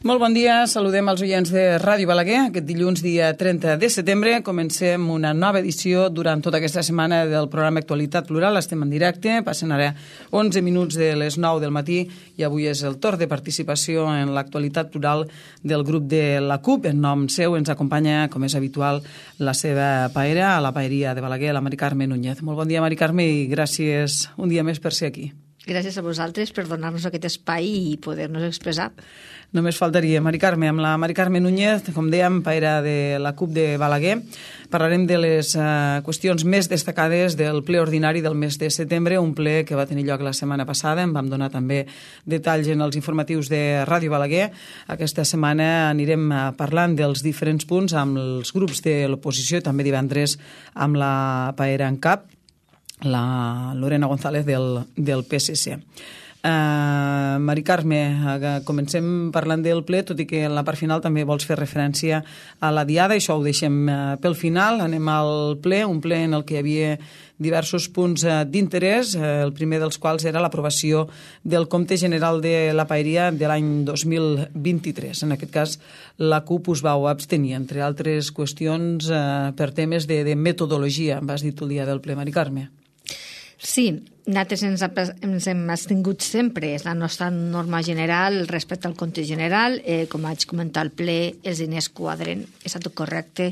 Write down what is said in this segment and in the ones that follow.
Molt bon dia, saludem els oients de Ràdio Balaguer. Aquest dilluns, dia 30 de setembre, comencem una nova edició durant tota aquesta setmana del programa Actualitat Plural. Estem en directe, passen ara 11 minuts de les 9 del matí i avui és el torn de participació en l'actualitat plural del grup de la CUP. En nom seu ens acompanya, com és habitual, la seva paera, a la paeria de Balaguer, la Mari Carme Núñez. Molt bon dia, Mari Carme, i gràcies un dia més per ser aquí. Gràcies a vosaltres per donar-nos aquest espai i poder-nos expressar. Només faltaria, Mari Carme. Amb la Mari Carme Núñez, com dèiem, paera de la CUP de Balaguer, parlarem de les qüestions més destacades del ple ordinari del mes de setembre, un ple que va tenir lloc la setmana passada. En vam donar també detalls en els informatius de Ràdio Balaguer. Aquesta setmana anirem parlant dels diferents punts amb els grups de l'oposició i també divendres amb la paera en cap, la Lorena González del PSC. Mari Carme, comencem parlant del ple, tot i que en la part final també vols fer referència a la diada, això ho deixem pel final. Anem al ple, un ple en el que hi havia diversos punts d'interès, el primer dels quals era l'aprovació del compte general de la paeria de l'any 2023. En aquest cas, la CUP us vau abstenir, entre altres qüestions per temes de metodologia, vas dir tu el dia del ple, Mari Carme. Sí, nosaltres ens hem abstingut sempre. És la nostra norma general respecte al compte general. Com vaig comentar al ple, els diners quadren, és tot correcte.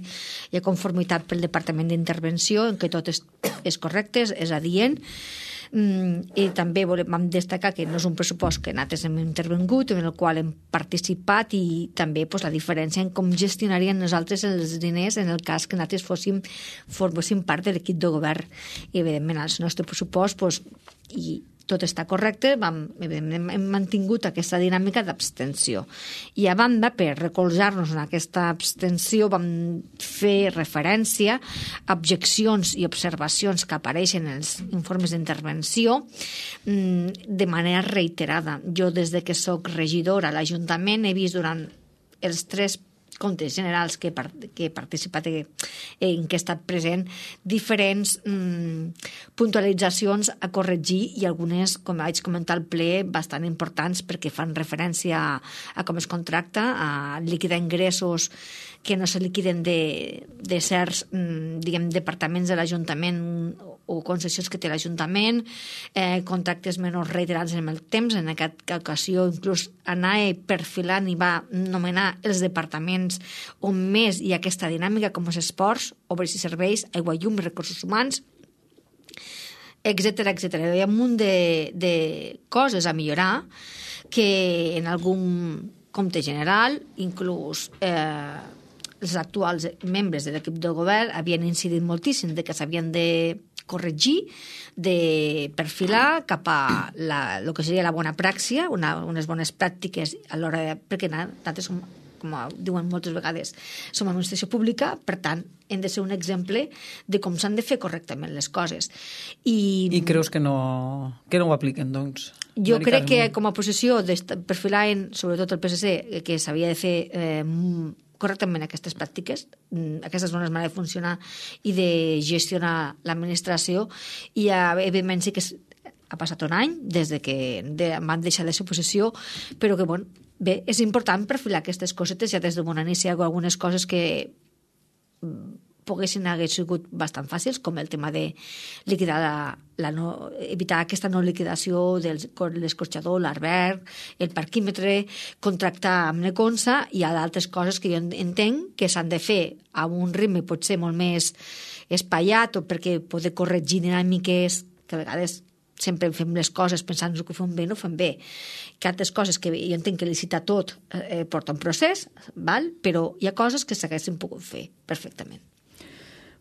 Hi ha conformitat pel Departament d'Intervenció en què tot és correcte, és adient. I també vam destacar que no és un pressupost que nosaltres hem intervingut, en el qual hem participat, i també la diferència en com gestionarien nosaltres els diners en el cas que nosaltres forméssim part de l'equip de govern. I evidentment el nostre pressupost i tot està correcte, hem mantingut aquesta dinàmica d'abstenció. I a banda, per recolzar-nos en aquesta abstenció, vam fer referència a objeccions i observacions que apareixen en els informes d'intervenció de manera reiterada. Jo, des de que soc regidora a l'Ajuntament, he vist durant els 3 comptes generals que he participat, en què he estat present, diferents puntualitzacions a corregir, i algunes, com vaig comentar al ple, bastant importants perquè fan referència a com es contracta, a liquidar ingressos que no se liquiden de certs departaments de l'Ajuntament o concessions que té l'Ajuntament, contractes menors reiterats en el temps. En aquesta ocasió inclús anar perfilant i va nomenar els departaments on més hi ha aquesta dinàmica, com els esports, obres i serveis, aigua i llum, recursos humans, etcètera, etcètera. Hi ha un munt de coses a millorar que en algun compte general, inclús els actuals membres de l'equip de govern havien incidit moltíssim de que s'havien de corregir, de perfilar cap a el que seria la bona pràctica, unes bones pràctiques a l'hora perquè nosaltres som, com diuen moltes vegades, som administració pública, per tant, hem de ser un exemple de com s'han de fer correctament les coses. I creus que no ho apliquen, doncs? Jo crec que com a oposició perfilaven, sobretot el PSC, que s'havia de fer correctament aquestes pràctiques, aquestes bones maneres de funcionar i de gestionar l'administració, i evidentment sí que ha passat un any des que van deixar de ser oposició, però que bé, és important perfilar aquestes cosetes. Ja des de bon inici hi ha algunes coses que hagués sigut bastant fàcils, com el tema de liquidar evitar aquesta no liquidació de l'escorxador, l'alberg, el parquímetre, contractar amb l'Econsa, i hi ha d'altres coses que jo entenc que s'han de fer a un ritme potser molt més espaiat, o perquè poder corregir dinàmiques que a vegades sempre fem les coses pensant que ho fem bé, no ho fem bé. Que altres coses que jo entenc que licitar tot porta un procés, però hi ha coses que s'haguessin pogut fer perfectament.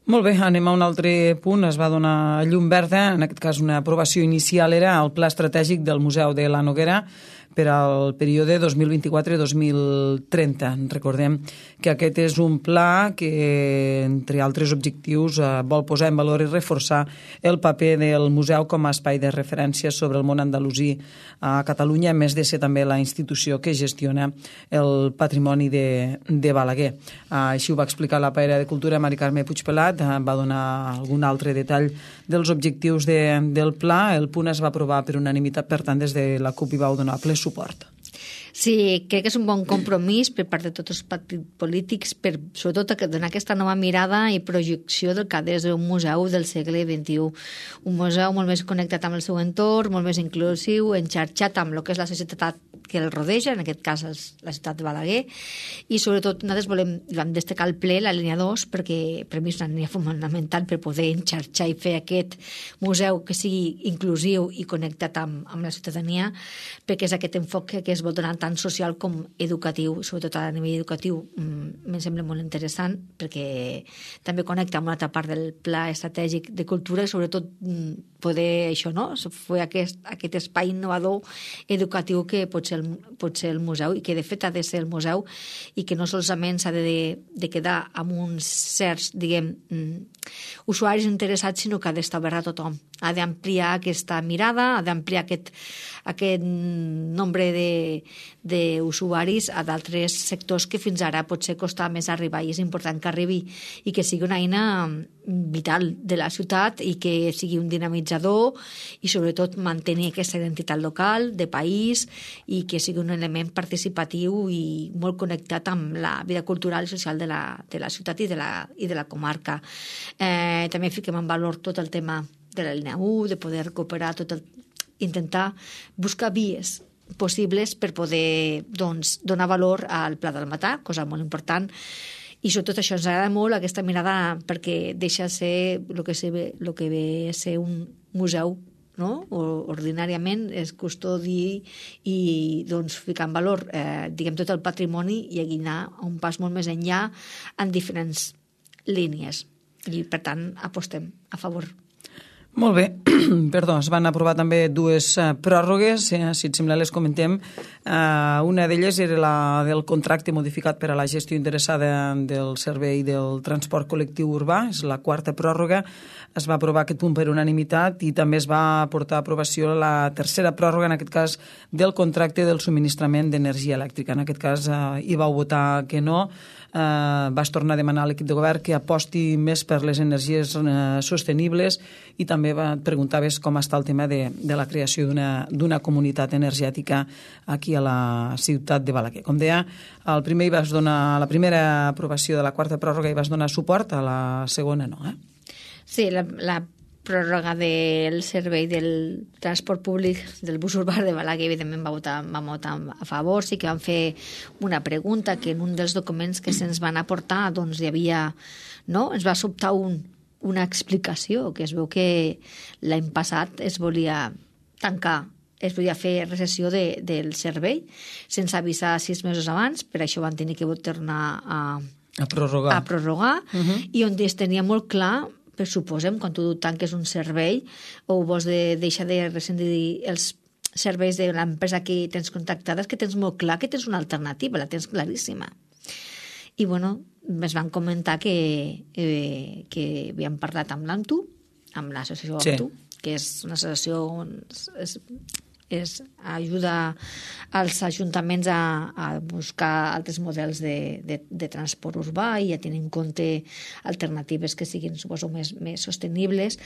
Molt bé, anem a un altre punt. Es va donar llum verda, en aquest cas una aprovació inicial era el Pla Estratègic del Museu de la Noguera per al període 2024-2030. Recordem que aquest és un pla que, entre altres objectius, vol posar en valor i reforçar el paper del museu com a espai de referència sobre el món andalusí a Catalunya, a més de ser també la institució que gestiona el patrimoni de Balaguer. Així ho va explicar la paera de Cultura, Mari Carme Puigpelat, va donar algun altre detall dels objectius del pla. El punt es va aprovar per unanimitat, per tant, des de la CUP hi vau donar ple suport. Sí, crec que és un bon compromís per part de tots els partits polítics per, sobretot, donar aquesta nova mirada i projecció del que ha de ser un museu del segle XXI. Un museu molt més connectat amb el seu entorn, molt més inclusiu, enxarxat amb el que és la societat que el rodeja, en aquest cas la ciutat de Balaguer, i sobretot nosaltres vam destacar el ple, la línia 2, perquè per mi és una línia fonamental per poder enxarxar i fer aquest museu que sigui inclusiu i connectat amb la ciutadania, perquè és aquest enfoc que es vol donar tant social com educatiu, sobretot a nivell educatiu. Em sembla molt interessant perquè també connecta amb una altra part del pla estratègic de cultura i sobretot poder això, no? Fer aquest espai innovador educatiu que pot ser el museu i que de fet ha de ser el museu i que no solament s'ha de quedar amb uns certs, diguem, usuaris interessats, sinó que ha d'estar obert a tothom. Ha d'ampliar aquesta mirada, ha d'ampliar aquest nombre d'usuaris a d'altres sectors que fins ara potser costava més arribar i és important que arribi i que sigui una eina vital de la ciutat i que sigui un dinamitzador i sobretot mantenir aquesta identitat local, de país i que sigui un element participatiu i molt connectat amb la vida cultural i social de la ciutat i de la comarca. També fiquem en valor tot el tema de la línia 1, de poder recuperar intentar buscar vies possibles per poder donar valor al Pla del Matà, cosa molt important. I sobretot això ens agrada molt, aquesta mirada, perquè deixa ser el que ve a ser un museu, no? Ordinàriament es custodi i ficar en valor tot el patrimoni i anar a un pas molt més enllà en diferents línies. I, per tant, apostem a favor. Molt bé, perdó, es van aprovar també dues pròrrogues, si et sembla les comentem. Una d'elles era la del contracte modificat per a la gestió interessada del servei del transport col·lectiu urbà, és la quarta pròrroga. Es va aprovar aquest punt per unanimitat i també es va portar a aprovació la tercera pròrroga, en aquest cas, del contracte del subministrament d'energia elèctrica. En aquest cas hi vau votar que no. Vas tornar a demanar a l'equip de govern que aposti més per les energies sostenibles i també et preguntaves com està el tema de la creació d'una comunitat energètica aquí a la ciutat de Balaguer. Com deia, al primer hi vas donar la primera aprovació de la quarta pròrroga i vas donar suport, a la segona no, Sí, la pròrroga del servei del transport públic del bus urbà de Balaguer, evidentment vam votar a favor. Sí que vam fer una pregunta que en un dels documents que se'ns van aportar hi havia, no? Ens va sobtar una explicació, que es veu que l'any passat es volia tancar, es volia fer recessió del servei sense avisar 6 mesos abans, per això van tenir que tornar a prorrogar. I on es tenia molt clar, per suposem, quan tu tanques un servei o vols deixar de rescindir els serveis de l'empresa que tens contactada, que tens molt clar que tens una alternativa, la tens claríssima. I, es van comentar que havíem parlat amb l'AMTU, amb l'associació AMTU, que és una associació on ajuda als ajuntaments a buscar altres models de transport urbà i a tenir en compte alternatives que siguin, suposo, més sostenibles.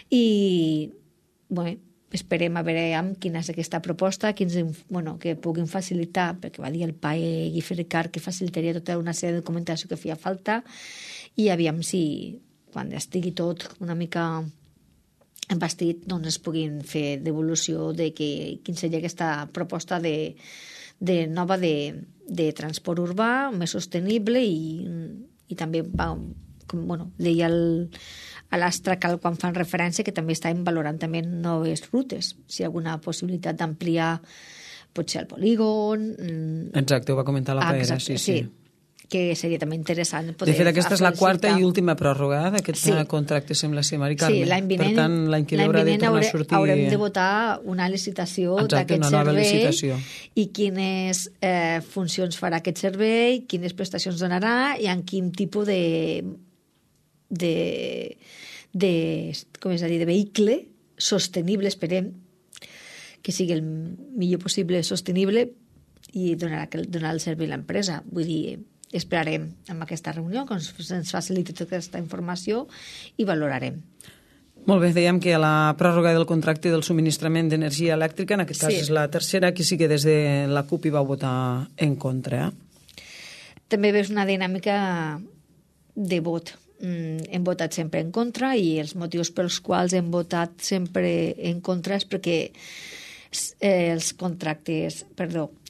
I, esperem a veure quina és aquesta proposta, que puguin facilitar, perquè va dir el PAE Guifre Ricard que facilitaria tota una sèrie de documentació que feia falta, i aviam si, quan estigui tot una mica embastit, es puguin fer devolució de quin seria aquesta proposta nova de transport urbà més sostenible i també deia a l'Astracal quan fan referència que també estàvem valorant també noves rutes, si hi ha alguna possibilitat d'ampliar potser el polígon. Exacte, ho va comentar la Paera, sí. Que seria també interessant poder... De fet, aquesta és la quarta i última pròrroga d'aquest contracte, sembla ser, Mari Carme. Sí, l'any vinent, per tant, l'any que ve haurà de tornar a sortir... haurem de votar una licitació d'aquest servei i quines funcions farà aquest servei, quines prestacions donarà i en quin tipus de vehicle sostenible, esperem que sigui el millor possible sostenible i donar el servei a l'empresa. Vull dir, esperarem amb aquesta reunió que ens faciliti tota aquesta informació i valorarem. Molt bé, dèiem que la pròrroga del contracte del subministrament d'energia elèctrica, en aquest cas Sí. és la tercera, que sí que des de la CUP hi va votar en contra. També veus una dinàmica de vot. Hem votat sempre en contra i els motius pels quals hem votat sempre en contra és perquè els contractes,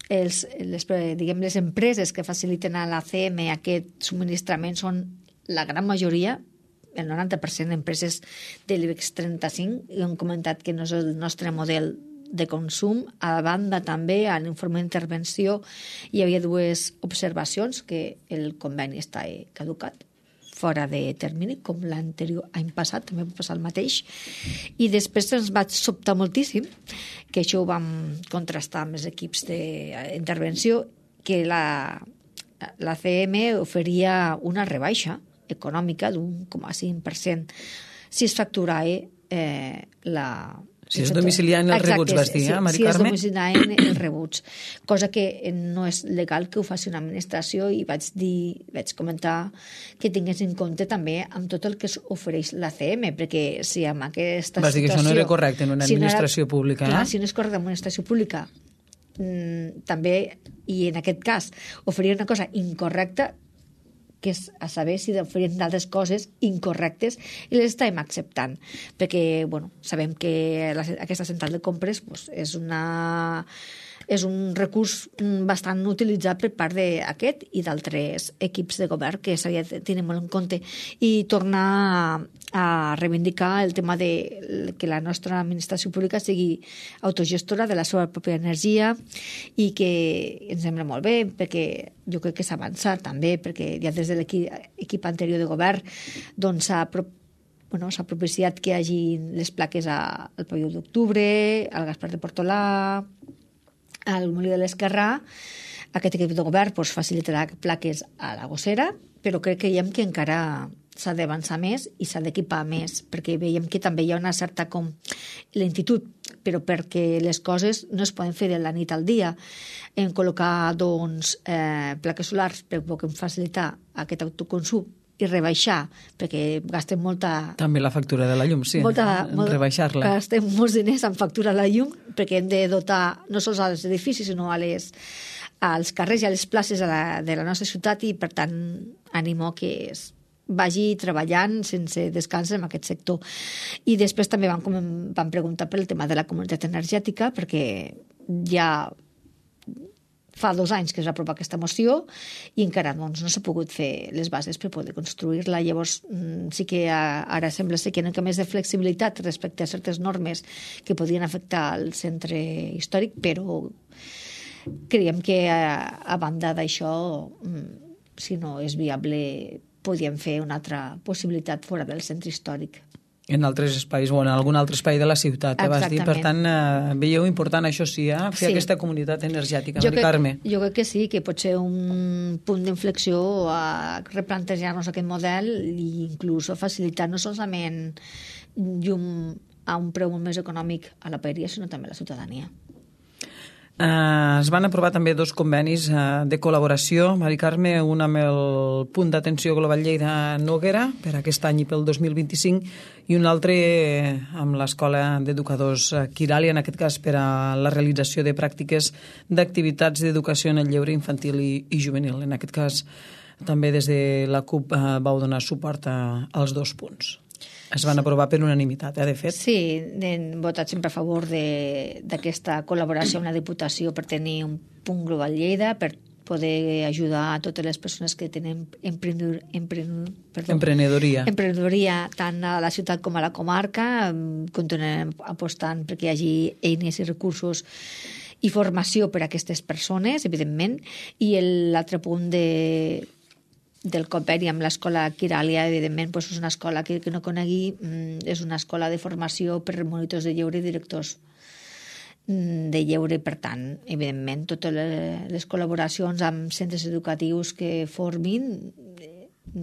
diguem, les empreses que faciliten a l'ACM aquest subministrament són la gran majoria, el 90% d'empreses de l'IBEX 35, i han comentat que no és el nostre model de consum. A banda, també, a l'informe d'intervenció hi havia dues observacions, que el conveni està caducat, fora de termini, com l'anterior any passat, també va passar el mateix. I després ens va sobtar moltíssim, que això ho vam contrastar amb els equips d'intervenció, que la CM oferia una rebaixa econòmica d'1,5% si es facturava si es domiciliaven els rebuts, vas dir, Mari Carme? Si es domiciliaven els rebuts, cosa que no és legal que ho faci una administració, i vaig comentar que tingués en compte també amb tot el que ofereix l'ACM, perquè si amb aquesta vas dir que això no era correcte en una administració pública. Clar, si no és correcte en una administració pública, també, i en aquest cas, oferir una cosa incorrecta, que és a saber si oferien d'altres coses incorrectes, i les estàvem acceptant, perquè sabem que aquesta central de compres és un recurs bastant utilitzat per part d'aquest i d'altres equips de govern que s'havia de tenir molt en compte, i tornar a reivindicar el tema de que la nostra administració pública sigui autogestora de la seva pròpia energia, i que ens sembla molt bé, perquè jo crec que s'ha avançat també, perquè ja des de l'equip anterior de govern s'ha propiciat que hi hagi les plaques al Pavelló d'Octubre, al Gaspar de Portolà, al Molí de l'Esquerrà. Aquest equip de govern facilitarà plaques a la Gossera, però crec que veiem que encara s'ha d'avançar més i s'ha d'equipar més, perquè veiem que també hi ha una certa lentitud, però perquè les coses no es poden fer de la nit al dia. En col·locar plaques solars per poder facilitar aquest autoconsum i rebaixar, perquè gastem molta... També la factura de la llum, sí, rebaixar-la. Gastem molts diners en factura de la llum, perquè hem de dotar no sols als edificis, sinó als carrers i a les places de la nostra ciutat, i per tant animo que vagi treballant sense descans en aquest sector. I després també vam preguntar per el tema de la comunitat energètica, perquè ja fa 2 anys que es va aprovar aquesta moció i encara no s'ha pogut fer les bases per poder construir-la. Llavors sí que ara sembla ser que hi ha una mica més de flexibilitat respecte a certes normes que podrien afectar el centre històric, però creiem que a banda d'això, si no és viable, podríem fer una altra possibilitat fora del centre històric. En altres espais, o en algun altre espai de la ciutat, vas dir. Per tant, veieu important, això sí, fer aquesta comunitat energètica, Mari Carme. Jo crec que sí, que pot ser un punt d'inflexió a replantejar-nos aquest model i inclús facilitar no solament llum a un preu molt més econòmic a la paeria, sinó també a la ciutadania. Es van aprovar també 2 convenis de col·laboració, Mari Carme, un amb el Punt d'Atenció Global Lleida Noguera per aquest any i pel 2025, i un altre amb l'Escola d'Educadors Quiràlia, en aquest cas per a la realització de pràctiques d'activitats d'educació en el lleure infantil i juvenil. En aquest cas també des de la CUP vau donar suport als 2 punts. Es van aprovar per unanimitat, de fet. Sí, hem votat sempre a favor d'aquesta col·laboració amb la Diputació per tenir un punt global Lleida, per poder ajudar a totes les persones que tenen emprenedoria tant a la ciutat com a la comarca. Continuem apostant perquè hi hagi eines i recursos i formació per a aquestes persones, evidentment. I l'altre punt del conveni amb l'Escola Quiràlia, evidentment, és una escola que no conegui, és una escola de formació per monitors de lleure i directors de lleure. Per tant, evidentment, totes les col·laboracions amb centres educatius que formin,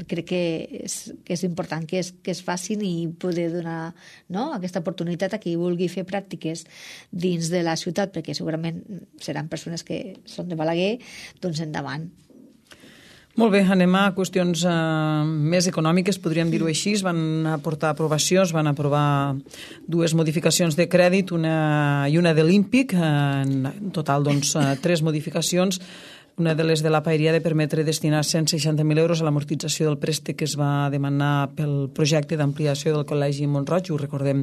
crec que és important que es facin i poder donar aquesta oportunitat a qui vulgui fer pràctiques dins de la ciutat, perquè segurament seran persones que són de Balaguer, doncs endavant. Molt bé, anem a qüestions més econòmiques, podríem dir-ho així. Van aportar aprovació, es van aprovar dues modificacions de crèdit, una i una de l'Ímpic, en total, doncs, 3 modificacions. Una de les de la Paeria de permetre destinar 160.000 euros a l'amortització del préstec que es va demanar pel projecte d'ampliació del Col·legi Mont-roig, ho recordem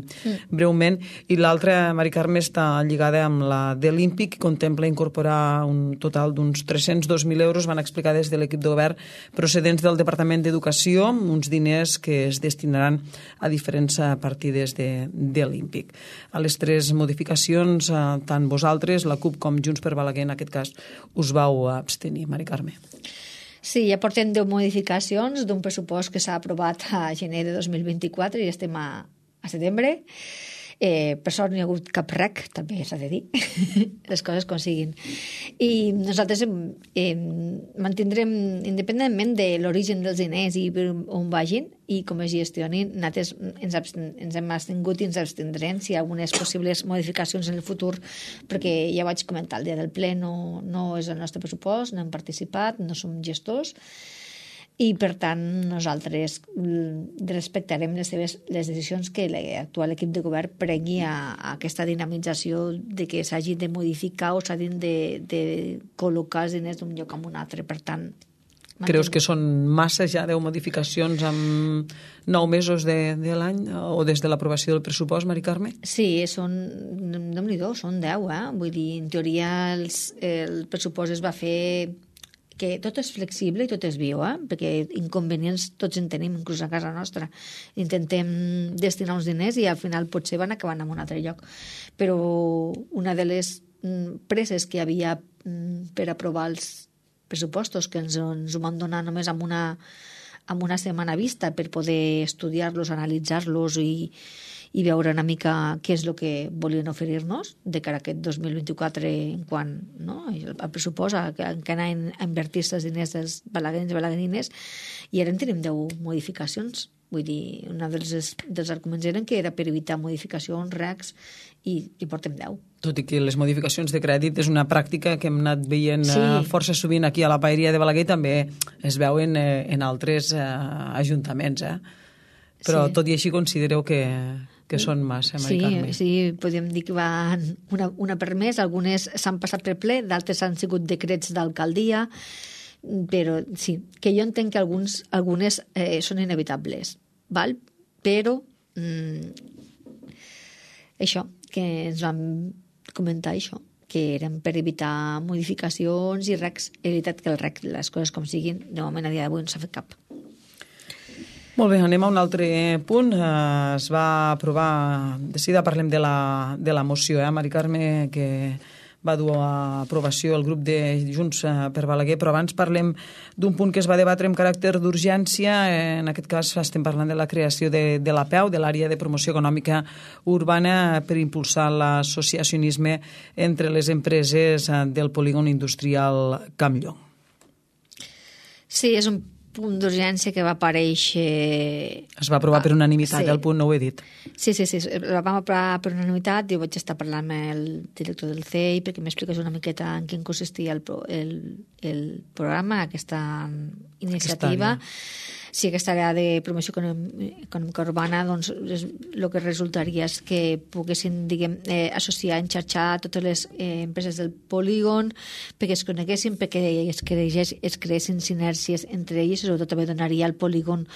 breument, i l'altra, Mari Carme, està lligada amb la de l'Ímpic, que contempla incorporar un total d'uns 302.000 euros, van explicar des de l'equip de govern, procedents del Departament d'Educació, uns diners que es destinaran a diferents partides de l'Ímpic. A les 3 modificacions, tant vosaltres, la CUP com Junts per Balaguer, en aquest cas, us vau abstenir, Mari Carme. Sí, ja portem 10 modificacions d'un pressupost que s'ha aprovat a gener de 2024 i estem a setembre. Per sort no hi ha hagut cap rec, també s'ha de dir, les coses com siguin. I nosaltres mantindrem, independentment de l'origen dels diners i on vagin i com es gestionin, nosaltres ens hem abstingut i ens abstindrem si hi ha algunes possibles modificacions en el futur, perquè ja vaig comentar, el dia del ple no és el nostre pressupost, no hem participat, no som gestors, i per tant nosaltres respectarem les decisions que l'actual equip de govern prengui a aquesta dinamització de que s'hagi de modificar o s'hagin de col·locar els diners d'un lloc a un altre. Per tant, creus que són massa ja 10 modificacions en 9 mesos de l'any o des de l'aprovació del pressupost, Mari Carme? Sí, Déu-n'hi-do, són 10, Vull dir, en teoria el pressupost es va fer que tot és flexible i tot és viu, perquè inconvenients tots en tenim, inclús a casa nostra. Intentem destinar uns diners i al final potser van acabant en un altre lloc. Però una de les presses que hi havia per aprovar els pressupostos, que ens ho van donar només amb una setmana vista per poder estudiar-los, analitzar-los i veure una mica què és el que volien oferir-nos de cara a aquest 2024 en quant al pressupost, en què anaven a invertir-se els diners dels balaguerins i balaguerines, i ara en tenim 10 modificacions. Vull dir, un dels arguments eren que era per evitar modificacions, recs, i portem 10. Tot i que les modificacions de crèdit és una pràctica que hem anat veient força sovint aquí a la Paeria de Balaguer, també es veuen en altres ajuntaments, Però tot i així considereu que són massa, Mari Carme. Sí, podem dir que van una per mes, algunes s'han passat per ple, d'altres han sigut decrets d'alcaldia, però sí, que jo entenc que algunes són inevitables, val? Però això, que ens vam comentar això, que eren per evitar modificacions i recs. És veritat que el rec, les coses com siguin, de moment a dia d'avui no s'ha fet cap. Molt bé, anem a un altre punt. Es va aprovar, de seguida parlem de la moció, Mari Carme, que va dur a aprovació el grup de Junts per Balaguer, però abans parlem d'un punt que es va debatre amb caràcter d'urgència. En aquest cas estem parlant de la creació de l'APEU, de l'Àrea de Promoció Econòmica Urbana, per impulsar l'associacionisme entre les empreses del polígon industrial Campllong. Sí, és un punt d'urgència que va aparèixer... Es va aprovar per unanimitat, el punt no ho he dit. Sí, la vam aprovar per unanimitat. Jo vaig estar parlant amb el director del CEI perquè m'expliqués una miqueta en què consistia el programa, aquesta iniciativa. Sí, aquesta àrea de promoció econòmica urbana, doncs el que resultaria és que poguessin, associar, enxarxar totes les empreses del polígon perquè es coneguessin, perquè es creessin sinèrgies entre elles, i sobretot també donaria al polígon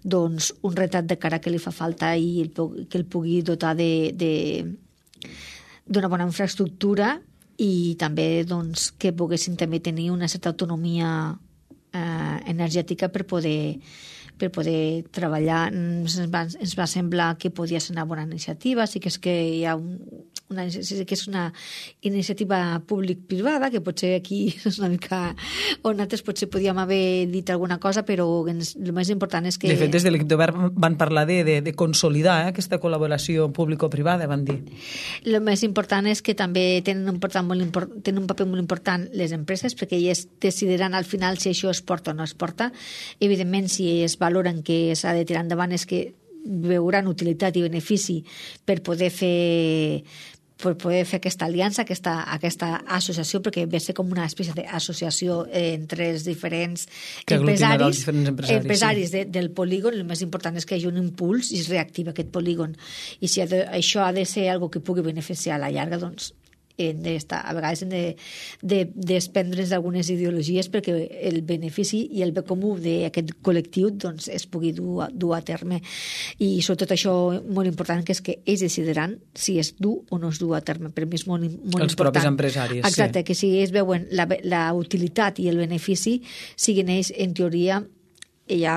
doncs, un retrat de cara que li fa falta i que el pugui dotar d'una bona infraestructura i també doncs, que poguessin també tenir una certa autonomia energètica per poder treballar. Ens va semblar que podia ser una bona iniciativa. Sí que és que hi ha una iniciativa públic-privada, que potser aquí és una mica on nosaltres potser podíem haver dit alguna cosa, però el més important és que... De fet, des de l'equip de govern van parlar de consolidar aquesta col·laboració público-privada, van dir. El més important és que també tenen un paper molt important les empreses, perquè elles decidiran al final si això es porta o no es porta. Evidentment, si es valoren que s'ha de tirar endavant és que veuran utilitat i benefici per poder fer per poder fer aquesta aliança, aquesta associació, perquè ve a ser com una espècie d'associació entre els diferents empresaris del polígon. El més important és que hi hagi un impuls i es reactiva aquest polígon. I si això ha de ser algo que pugui beneficiar a la llarga, doncs a vegades hem de desprendre's d'algunes ideologies perquè el benefici i el bé comú d'aquest col·lectiu doncs, es pugui dur a terme. I sobretot això molt important, que és que ells decidiran si es du o no es du a terme. Per mi és molt important. Els propis empresaris. Exacte, sí. Que si ells veuen la utilitat i el benefici, siguin ells, en teoria, hi ha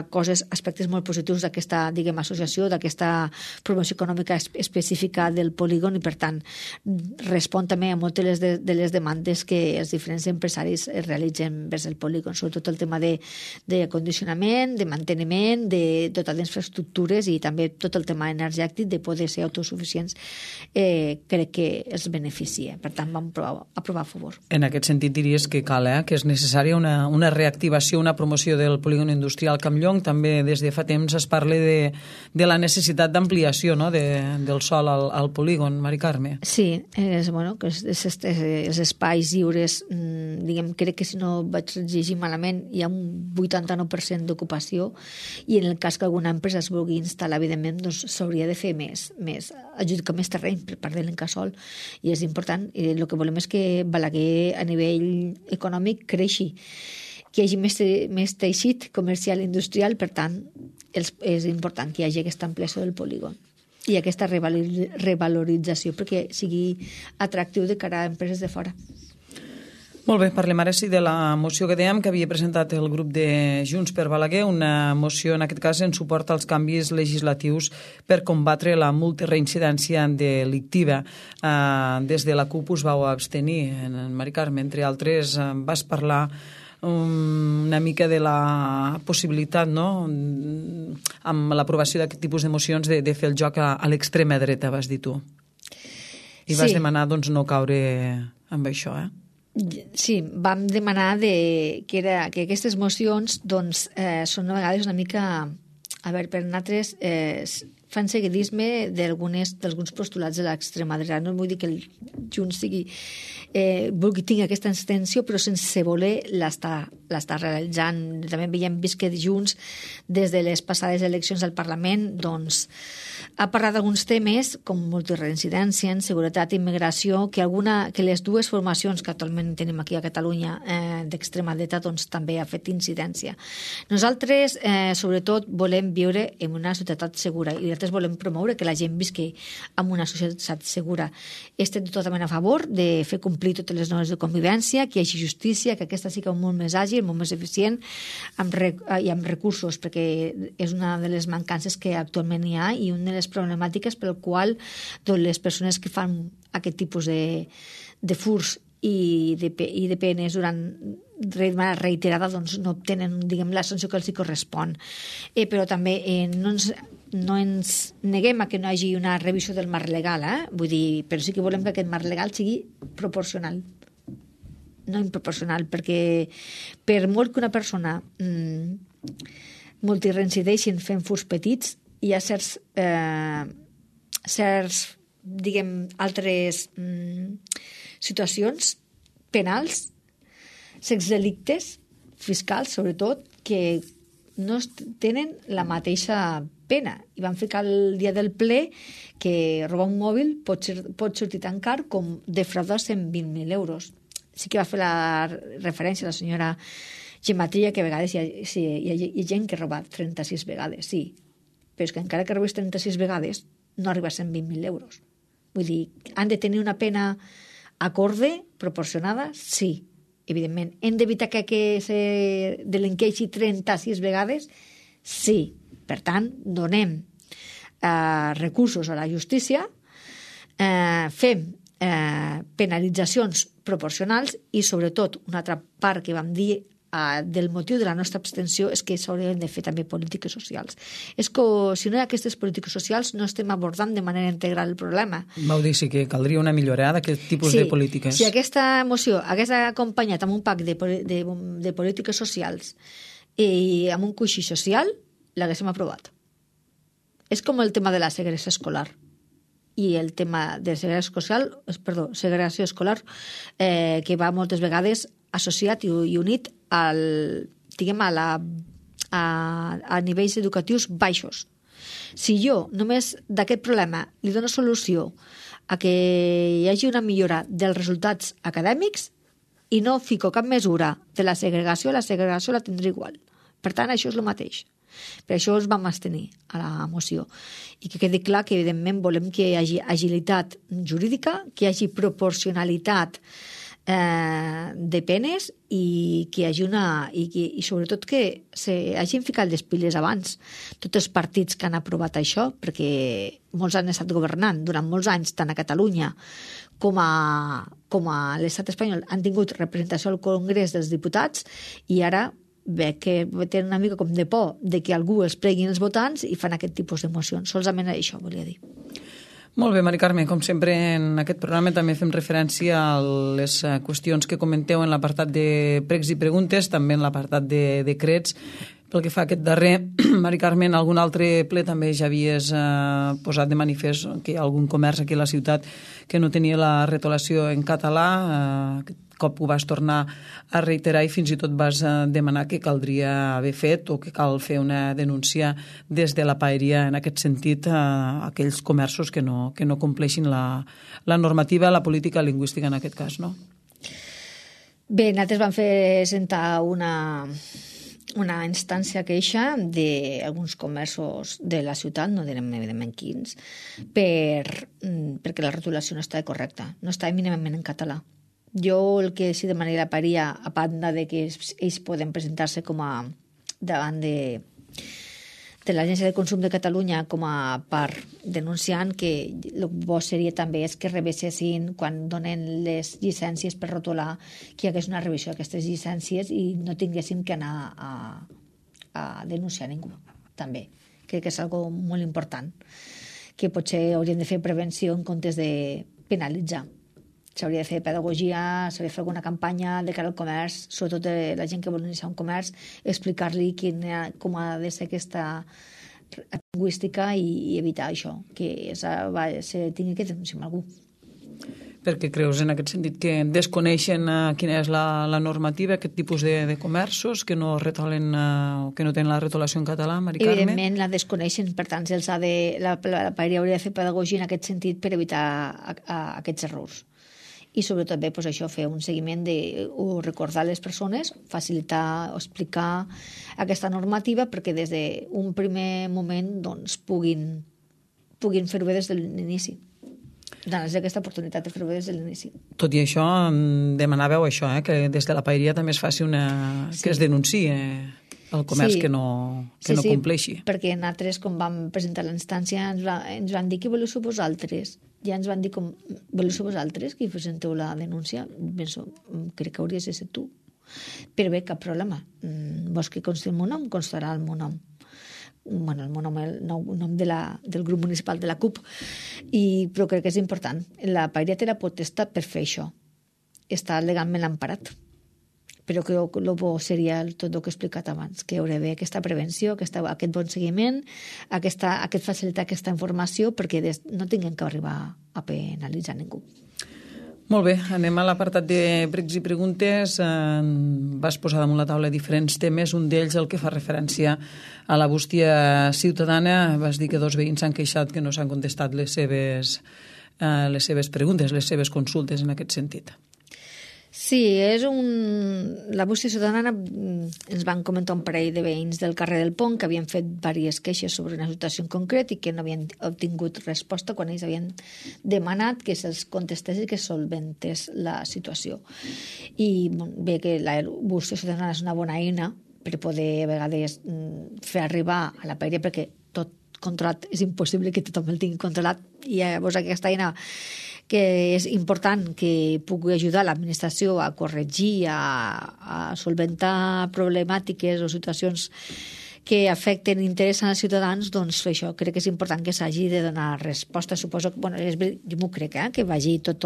aspectes molt positius d'aquesta, diguem, associació, d'aquesta promoció econòmica específica del polígon, i per tant respon també a moltes de les demandes que els diferents empresaris realitzen vers el polígon, sobretot el tema de condicionament, de manteniment, de totes les infraestructures i també tot el tema energètic, de poder ser autosuficients, crec que els beneficia. Per tant, vam aprovar a favor. En aquest sentit diries que cal, que és necessària una reactivació, una promoció del polígon industrial Campllong. També des de fa temps es parla de la necessitat d'ampliació, no?, del sòl al polígon, Mari Carme. Sí, que els espais lliures, diguem, crec que si no vaig llegir malament, hi ha un 89% d'ocupació, i en el cas que alguna empresa es vulgui instal·lar, evidentment, doncs s'hauria de fer més adjudicar més terreny per part de l'Incasòl, i és important. El que volem és que Balaguer a nivell econòmic creixi, que hi hagi més teixit comercial i industrial. Per tant, és important que hi hagi aquesta ampliació del polígon i aquesta revalorització perquè sigui atractiu de cara a empreses de fora. Molt bé, parlem ara sí de la moció que dèiem que havia presentat el grup de Junts per Balaguer, una moció en aquest cas en suport als canvis legislatius per combatre la multireincidència delictiva. Des de la CUP us vau abstenir, en Mari Carme, entre altres, vas parlar una mica de la possibilitat, no?, amb l'aprovació d'aquest tipus de mocions de fer el joc a l'extrema dreta, vas dir tu. I vas demanar, doncs, no caure amb això, Sí, vam demanar que aquestes mocions doncs, són a vegades una mica, a veure, per nosaltres fan seguidisme d'alguns postulats de l'extrema dreta. No vull dir que el Junts vulgui tenir aquesta extensió, però sense voler l'està realitzant. També hem vist que Junts, des de les passades eleccions al Parlament, doncs, ha parlat d'alguns temes com multireincidència, seguretat i immigració, que les dues formacions que actualment tenim aquí a Catalunya d'extrema dreta doncs, també ha fet incidència. Nosaltres, sobretot, volem viure en una societat segura i nosaltres volem promoure que la gent visqui en una societat segura. Estem totalment a favor de fer complir totes les normes de convivència, que hi hagi justícia, que aquesta sigui molt més àgil, molt més eficient i amb recursos, perquè és una de les mancances que actualment hi ha i una de les problemàtiques pel qual doncs, les persones que fan aquest tipus de furs i de penes de manera reiterada doncs, no obtenen, diguem, la sanció que els correspon. Però també no ens neguem a que no hi hagi una revisió del marc legal, vull dir, però sí que volem que aquest marc legal sigui proporcional, no improporcional, perquè per molt que una persona multireincideixi fent furs petits, hi ha certs diguem, altres situacions penals, sexdelictes, fiscals, sobretot, que no tenen la mateixa pena. I van ficar el dia del ple que robar un mòbil pot sortir tan car com defraudar 120.000 euros. Sí que va fer la referència a la senyora Gematria, que a vegades hi ha gent que roba 36 vegades, sí, però és que encara que robis 36 vegades no arriba a 120.000 euros. Vull dir, han de tenir una pena acorde, proporcionada, sí, evidentment. Hem d'evitar que se delinqueixi 36 vegades, sí. Per tant, donem recursos a la justícia, fem penalitzacions proporcionals i, sobretot, una altra part que vam dir del motiu de la nostra abstenció és que s'haurien de fer també polítiques socials. És que si no hi ha aquestes polítiques socials no estem abordant de manera integral el problema. Vau dir sí que caldria una millora d'aquest tipus de polítiques. Si aquesta moció hagués acompanyat amb un pack de polítiques socials i amb un coixí social, l'haguéssim aprovat. És com el tema de la segregació escolar. i el tema de segregació escolar, que va moltes vegades associat i unit diguem, a nivells educatius baixos. Si jo només d'aquest problema li dono solució a que hi hagi una millora dels resultats acadèmics i no fico cap mesura de la segregació la tindré igual. Per tant, això és el mateix. Per això es vam abstenir a la moció. I que quedi clar que, evidentment, volem que hi hagi agilitat jurídica, que hi hagi proporcionalitat de penes i que hi hagi i sobretot que hagin ficat les piles abans tots els partits que han aprovat això, perquè molts han estat governant durant molts anys, tant a Catalunya com a l'estat espanyol, han tingut representació al Congrés dels Diputats i ara ve que tenen una mica com de por de que algú els pleguin els votants i fan aquest tipus d'emocions. Solament això volia dir. Molt bé, Mari Carme, com sempre en aquest programa també fem referència a les qüestions que comenteu en l'apartat de pregs i preguntes, també en l'apartat de decrets. Pel que fa a aquest darrer, Mari Carme, en algun altre ple també ja havies posat de manifest que hi ha algun comerç aquí a la ciutat que no tenia la retolació en català. Aquest cop ho vas tornar a reiterar i fins i tot vas demanar que caldria haver fet o que cal fer una denúncia des de la paeria en aquest sentit a aquells comerços que no compleixin la normativa, la política lingüística en aquest cas, no? Bé, nosaltres vam fer sentar una instància queixa d'alguns comerços de la ciutat, no direm evidentment quins, perquè la rotulació no estava correcta, no estava mínimament en català. Jo el que sí demanaria la paeria, a banda de que ells poden presentar-se com a davant de l'Agència de Consum de Catalunya com a part denunciant, que el bo seria també és que rebessin quan donen les llicències per rotular, que hi hagués una revisió d'aquestes llicències i no tinguéssim que anar a denunciar ningú, també. Crec que és algo molt important, que potser hauríem de fer prevenció en comptes de penalitzar. S'hauria de fer pedagogia, s'hauria de fer alguna campanya de cara al comerç, sobretot de la gent que vol iniciar un comerç, explicar-li com ha de ser aquesta lingüística i evitar això, que se tingui que denunciar amb algú. Perquè creus en aquest sentit que desconeixen quina és la normativa, aquest tipus de comerços que no retolen o que no tenen la retolació en català, Mari Carme? Evidentment la desconeixen, per tant la paeria hauria de fer pedagogia en aquest sentit per evitar aquests errors. I sobretot bé, doncs això, fer un seguiment o recordar a les persones, facilitar o explicar aquesta normativa perquè des d'un primer moment doncs, puguin fer-ho bé des de l'inici. Donar-los aquesta oportunitat de fer-ho bé des de l'inici. Tot i això, demanàveu això, que des de la paeria també es faci que es denunciï el comerç que no compleixi. Sí, perquè nosaltres, quan vam presentar la instància, ens van dir que voleu ser vosaltres. Ja ens van dir voleu ser vosaltres que presenteu la denúncia. Penso, crec que hauries de ser tu. Però bé, cap problema. Vols que consti el meu nom? Constarà el meu nom. Bueno, el meu nom, el nom del grup municipal de la CUP. Però crec que és important. La paeria té la potestat per fer això. Està legalment emparat. Però crec que el bo seria tot el que he explicat abans, que hi hauria d'haver aquesta prevenció, aquest bon seguiment, aquest facilitar aquesta informació perquè no tinguem que arribar a penalitzar ningú. Molt bé, anem a l'apartat de pregs i preguntes. Vas posar damunt la taula diferents temes, un d'ells el que fa referència a la bústia ciutadana. Vas dir que 2 veïns s'han queixat que no s'han contestat les seves preguntes, les seves consultes en aquest sentit. Sí, la bústia ciutadana ens van comentar un parell de veïns del carrer del Pont que havien fet diverses queixes sobre una situació en concret i que no havien obtingut resposta quan ells havien demanat que se'ls contestés i que solventés la situació. I bé que la bústia ciutadana és una bona eina per poder a vegades fer arribar a la paeria, perquè tot controlat és impossible que tothom el tingui controlat, i llavors aquesta eina que és important que pugui ajudar l'administració a corregir, a solventar problemàtiques o situacions que afecten i interessen als ciutadans, doncs això crec que és important que s'hagi de donar resposta. Suposo que, jo m'ho crec, que vagi tot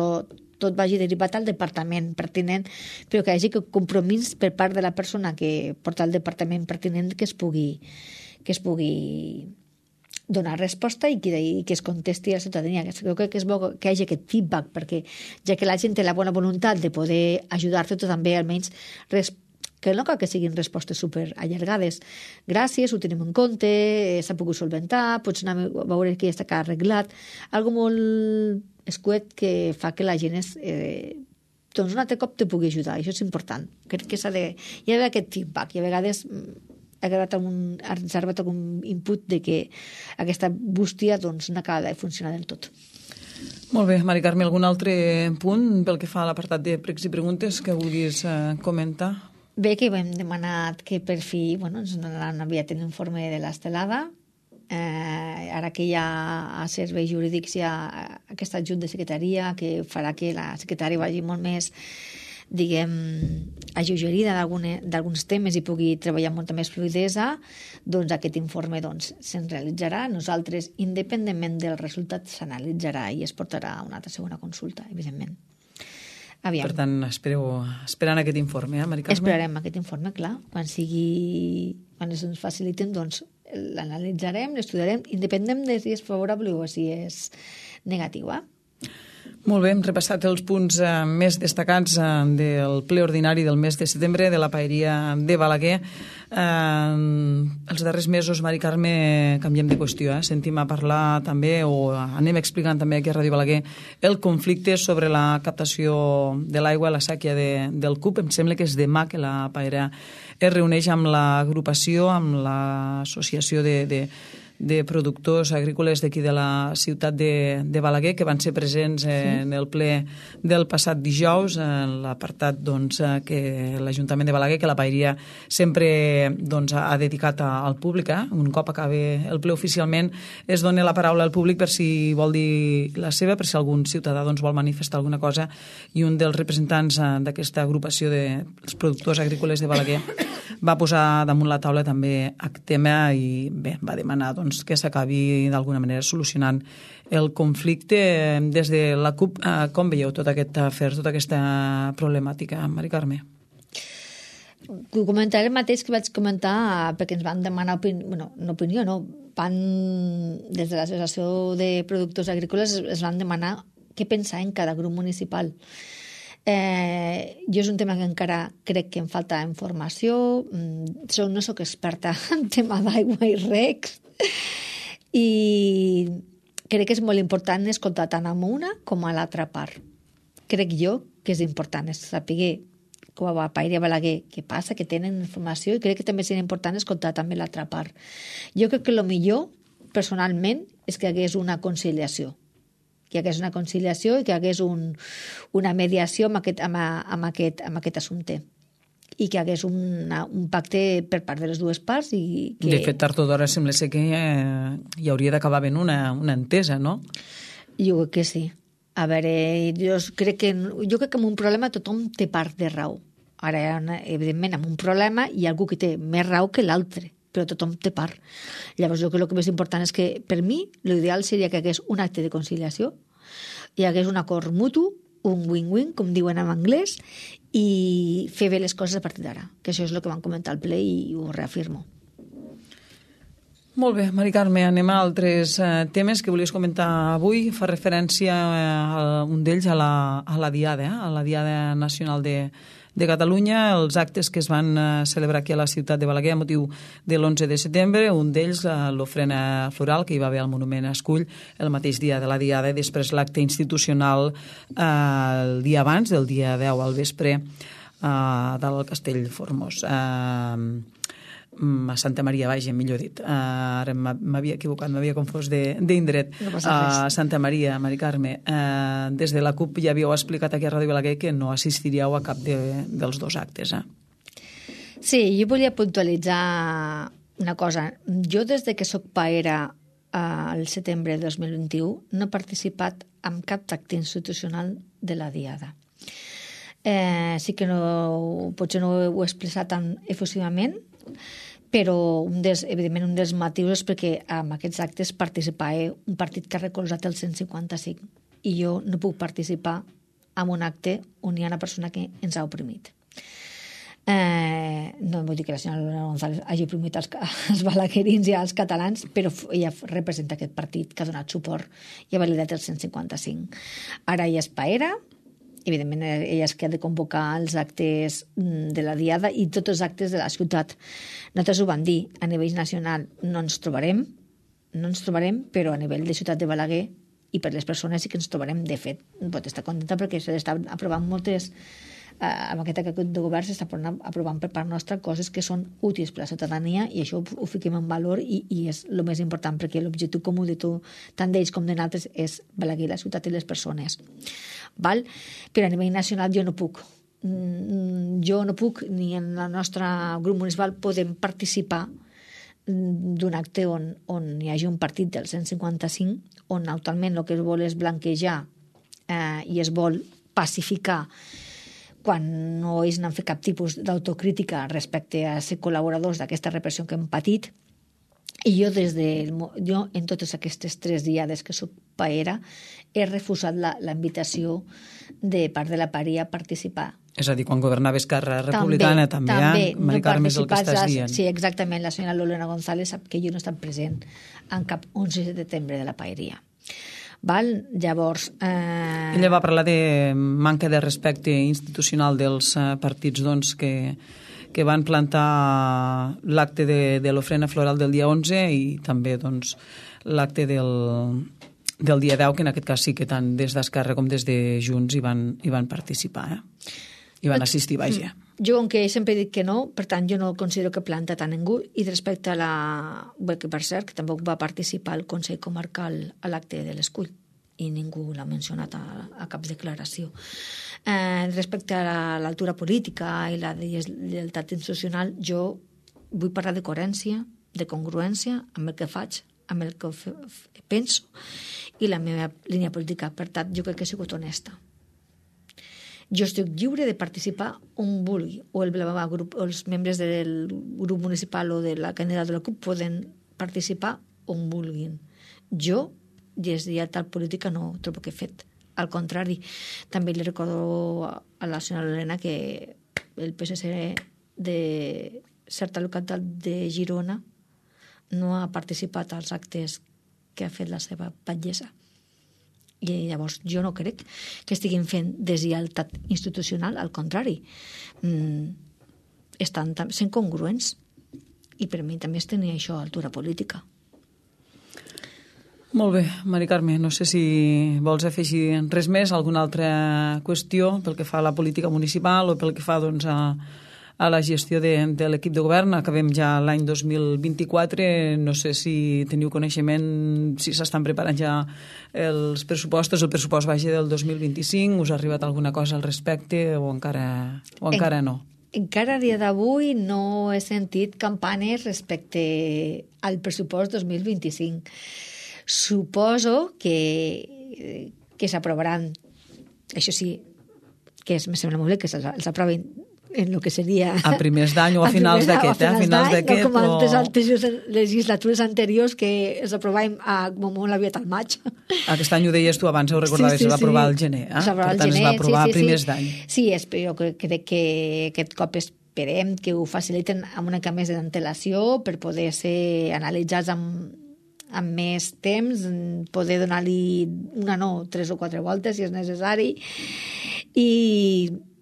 vagi derivat al departament pertinent, però que hi hagi compromís per part de la persona que porta el departament pertinent que es pugui donar resposta i que es contesti a la ciutadania. Crec que és bo que hi hagi aquest feedback, perquè ja que la gent té la bona voluntat de poder ajudar-te, tu també almenys que no cal que siguin respostes super allargades. Gràcies, ho tenim en compte, s'ha pogut solventar, pots anar a veure que ja està arreglat. Algo molt escuet que fa que la gent doncs un altre cop te pugui ajudar. Això és important. Crec que hi ha d'haver aquest feedback i a vegades ha arribat algun input de que aquesta bústia doncs, no acaba de funcionar del tot. Molt bé, Mari Carme, algun altre punt pel que fa a l'apartat de pregs i preguntes que vulguis comentar? Bé, que hem demanat que per fi ens donaran aviat l'informe de l'estelada. Ara que hi ha a serveis jurídics hi ha aquest adjunt de secretaria que farà que la secretària vagi molt més alleugerida d'alguns temes i pugui treballar amb molta més fluidesa, doncs aquest informe se'n realitzarà. Nosaltres, independentment del resultat, s'analitzarà i es portarà a una altra segona consulta, evidentment. Aviam. Per tant, esperant aquest informe, Mari Carme? Esperarem aquest informe, clar. Quan ens faciliten, doncs l'analitzarem, l'estudiarem, independent de si és favorable o si és negatiu, Molt bé, hem repassat els punts més destacats del ple ordinari del mes de setembre de la paeria de Balaguer. Els darrers mesos, Mari Carme, canviem de qüestió. Sentim a parlar també, o anem explicant també aquí a Ràdio Balaguer, el conflicte sobre la captació de l'aigua a la sèquia del CUP. Em sembla que és demà que la paera es reuneix amb l'agrupació, amb l'associació de productors agrícoles d'aquí de la ciutat de Balaguer, que van ser presents en el ple del passat dijous, en l'apartat que l'Ajuntament de Balaguer, que la paeria sempre ha dedicat al públic. Un cop acabi el ple oficialment es dona la paraula al públic per si vol dir la seva, per si algun ciutadà vol manifestar alguna cosa, i un dels representants d'aquesta agrupació dels productors agrícoles de Balaguer va posar damunt la taula també aquest tema i bé, va demanar que s'acabi d'alguna manera solucionant el conflicte. Des de la CUP, com veieu tot aquest afer, tota aquesta problemàtica, Mari Carme? Comentaré el mateix que vaig comentar perquè ens van demanar opinió, des de l'Associació de Productors Agrícoles es van demanar què pensar en cada grup municipal. Jo és un tema que encara crec que em falta informació, no sóc experta en tema d'aigua i recs, i crec que és molt important escoltar tant a una com a l'altra part. Crec jo que és important saber com a Paeria Balaguer què passa, que tenen informació, i crec que també seria important escoltar també l'altra part. Jo crec que el millor, personalment, és que hi hagués una conciliació. Que hi hagués una conciliació i que hi hagués una mediació amb aquest assumpte. I que hi hagués un pacte per part de les dues parts. De fet, tard o d'hora sembla ser que hi hauria d'acabar havent una entesa, no? Jo crec que sí. A veure, jo crec que en un problema tothom té part de raó. Ara, evidentment, en un problema hi ha algú que té més raó que l'altre, però tothom té part. Llavors, jo crec que el més important és que, per mi, l'ideal seria que hi hagués un acte de conciliació, hi hagués un acord mutu, un win-win, com diuen en anglès, i fer bé les coses a partir d'ara, que això és el que van comentar al ple i ho reafirmo. Molt bé, Mari Carme, anem a altres temes que volies comentar avui. Fa referència a un d'ells a la Diada Nacional de Catalunya, els actes que es van celebrar aquí a la ciutat de Balaguer a motiu de l'11 de setembre, un d'ells l'ofrena floral que hi va haver al Monument Escull el mateix dia de la Diada, i després l'acte institucional el dia abans, del dia 10 al vespre, del Castell Formós. A Santa Maria, millor dit. Ara m'havia equivocat, m'havia confós d'indret. A Santa Maria, Mari Carme. Des de la CUP ja havíeu explicat aquí a Ràdio Balaguer que no assistiríeu a cap dels dos actes. Sí, jo volia puntualitzar una cosa. Jo, des de que soc paera al setembre de 2021, no he participat en cap acte institucional de la Diada. Sí que potser no ho he expressat tan efusivament, però evidentment un dels motius és perquè en aquests actes participava un partit que ha recolzat el 155 i jo no puc participar en un acte on hi ha una persona que ens ha oprimit. No vull dir que la senyora Lorena González hagi oprimit els balaguerins i els catalans, però ella representa aquest partit que ha donat suport i ha validat el 155. Ara ella és paera, evidentment ella és que ha de convocar els actes de la diada i tots els actes de la ciutat. Nosaltres ho vam dir, a nivell nacional no ens trobarem, però a nivell de ciutat de Balaguer i per les persones sí que ens trobarem. De fet, pot estar contenta perquè s'estan aprovant moltes... amb aquest acord de govern s'està aprovant per part nostra coses que són útils per a la ciutadania i això ho fiquem en valor i és el més important perquè l'objectiu comú de tot, tant d'ells com de nosaltres, és Balaguer, la ciutat i les persones. Val? Però a nivell nacional jo no puc, ni en el nostre grup municipal podem participar d'un acte on hi hagi un partit del 155, on actualment el que es vol és blanquejar i es vol pacificar quan no ells n'han fet cap tipus d'autocrítica respecte a ser col·laboradors d'aquesta repressió que hem patit. I jo en totes aquestes 3 diades que soc paera he refusat la invitació de part de la paeria a participar. És a dir, quan governava Esquerra Republicana també Mari Carme, és el que estàs dient. Sí, exactament. La senyora Lorena González sap que jo no he estat present en cap 11 de setembre de la paeria. Val? Llavors... Ella va parlar de manca de respecte institucional dels partits doncs, que van plantar l'acte de l'ofrena floral del dia 11 i també doncs, l'acte del dia 10, que en aquest cas sí que tant des d'Esquerra com des de Junts hi van participar. Hi van assistir, vaja. Jo, aunque sempre he dit que no, per tant, jo no considero que planta tant ningú, i respecte a que per cert, que tampoc va participar el Consell Comarcal a l'acte de l'Escull, i ningú l'ha mencionat a cap declaració. Respecte a l'altura política i la lleialtat institucional, jo vull parlar de coherència, de congruència amb el que faig, amb el que penso, i la meva línia política. Per tant, jo crec que he sigut honesta. Jo estic lliure de participar on vulgui, o els membres del grup municipal o de la candidata de la CUP poden participar on vulguin. Jo, des de tal política, no trobo que he fet. Al contrari, també li recordo a la senyora Lorena que el PSC de certa localitat de Girona no ha participat als actes que ha fet la seva batllessa. I llavors jo no crec que estiguin fent deslleialtat institucional, al contrari. Estan sent congruents. I per mi també es tenia això a altura política. Molt bé, Mari Carme, no sé si vols afegir res més, alguna altra qüestió pel que fa a la política municipal o pel que fa doncs, a la gestió de l'equip de govern. Acabem ja l'any 2024, no sé si teniu coneixement, si s'estan preparant ja els pressupostos, el pressupost vaja del 2025, us ha arribat alguna cosa al respecte o encara no? Encara a dia d'avui no he sentit campanes respecte al pressupost 2025. Suposo que s'aprovaran, això sí, que me sembla molt bé que s'aprovin en el que seria... A primers d'any o a finals d'aquest, a finals d'aquest, no com altres legislatures anteriors que s'aprovàvem molt aviat al maig. Aquest any ho deies tu abans, ho recordaves, es va aprovar al gener, per tant es va aprovar a primers d'any. Sí, jo crec que aquest cop esperem que ho faciliten amb una mica més d'antelació per poder ser analitzats amb més temps, poder donar-li 3 o 4 voltes si és necessari, i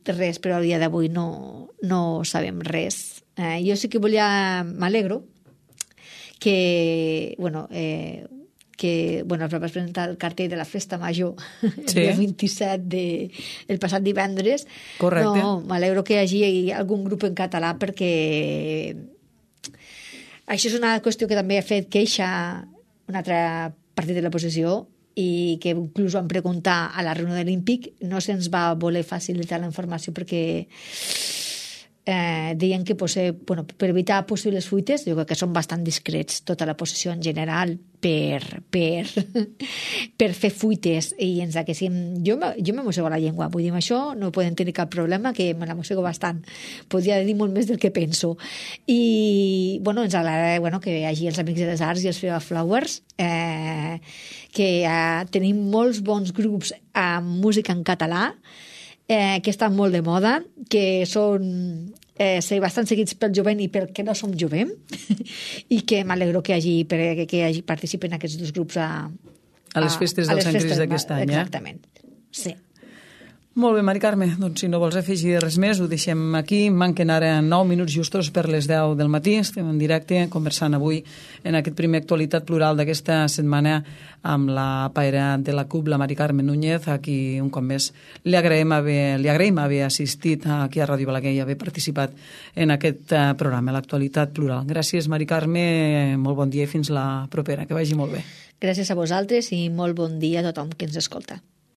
res, però a dia d'avui no sabem res. Jo sí que m'alegro que es va presentar el cartell de la Festa Major el dia 27 el passat divendres. Correcte. M'alegro que hi hagi algun grup en català perquè això és una qüestió que també ha fet queixa un altre partit de l'oposició i que inclús vam preguntar a la reunió de l'Olímpic, no se'ns va voler facilitar la informació perquè deien que per evitar possibles fuites, jo crec que són bastant discrets tota la posició en general per fer fuites i ens haguéssim... Jo m'amossego la llengua, vull dir, amb això no podem tenir cap problema, que me l'amossego bastant. Podria dir molt més del que penso. I ens agrada que hi hagi els Amics de les Arts i els Feva Flowers, que tenim molts bons grups amb música en català, que estan molt de moda, que són ser bastant seguits pel jovent i pel que no som jovent, i que m'alegro que hagi participen aquests dos grups a les festes del Sant Crist d'aquest any. Exactament, sí. Molt bé, Mari Carme, doncs si no vols afegir res més, ho deixem aquí. Manquen ara 9 minuts justos per les 10 del matí. Estem en directe conversant avui en aquest primer Actualitat Plural d'aquesta setmana amb la paira de la CUP, la Mari Carme Núñez, a qui un cop més li agraïm haver assistit aquí a Ràdio Balaguer i haver participat en aquest programa, l'Actualitat Plural. Gràcies, Mari Carme, molt bon dia i fins la propera. Que vagi molt bé. Gràcies a vosaltres i molt bon dia a tothom que ens escolta.